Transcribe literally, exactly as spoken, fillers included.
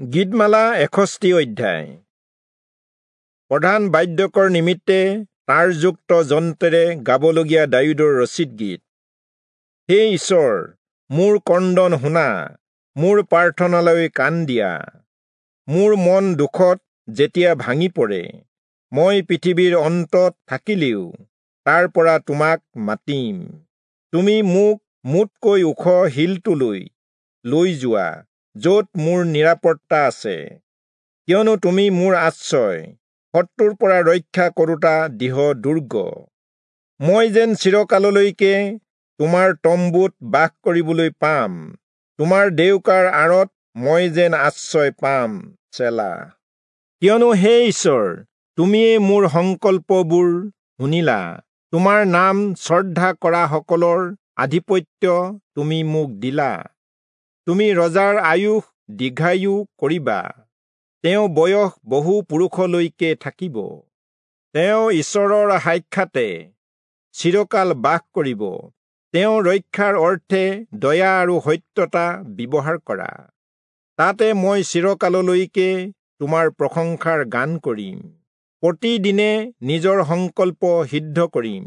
গীতমালা এষষ্ঠি অধ্যায়। প্ৰধান বাদ্যকৰ নিমিত্তে তাঁৰযুক্ত যন্ত্ৰেৰে গাবলগীয়া দায়ূদৰ ৰচিত গীত। হে ঈশ্বৰ, মোৰ ক্ৰন্দন শুনা, মোৰ প্ৰাৰ্থনালৈ কাণ দিয়া। মোৰ মন দুখত যেতিয়া ভাঙি পৰে, মই পৃথিৱীৰ অন্তত থাকিলেও তাৰ পৰা তোমাক মাতিম। তুমি মোক মোতকৈ ওখ শিলটোলৈ লৈ যোৱা, য'ত মোৰ নিৰাপত্তা আছে। কিয়নো তুমি মোৰ আশ্ৰয়, শত্ৰুৰ পৰা ৰক্ষা কৰোঁতা দৃঢ় দুৰ্গ। মই যেন চিৰকাললৈকে তোমাৰ তম্বুত বাস কৰিবলৈ পাম, তোমাৰ ডেউকাৰ আঁৰত মই যেন আশ্ৰয় পাম। চেলা। কিয়নো হে ঈশ্বৰ, তুমিয়েই মোৰ সংকল্পবোৰ শুনিলা, তোমাৰ নাম শ্ৰদ্ধা কৰাসকলৰ আধিপত্য তুমি মোক দিলা। তুমি ৰজাৰ আয়ুস দীৰ্ঘায়ু কৰিবা, তেওঁ বয়স বহু পুৰুষলৈকে থাকিব। তেওঁ ঈশ্বৰৰ সাক্ষাতে চিৰকাল বাস কৰিব। তেওঁ ৰক্ষাৰ অৰ্থে দয়া আৰু সত্যতা ব্যৱহাৰ কৰা। তাতে মই চিৰকাললৈকে তোমাৰ প্ৰশংসাৰ গান কৰিম, প্ৰতিদিনে নিজৰ সংকল্প সিদ্ধ কৰিম।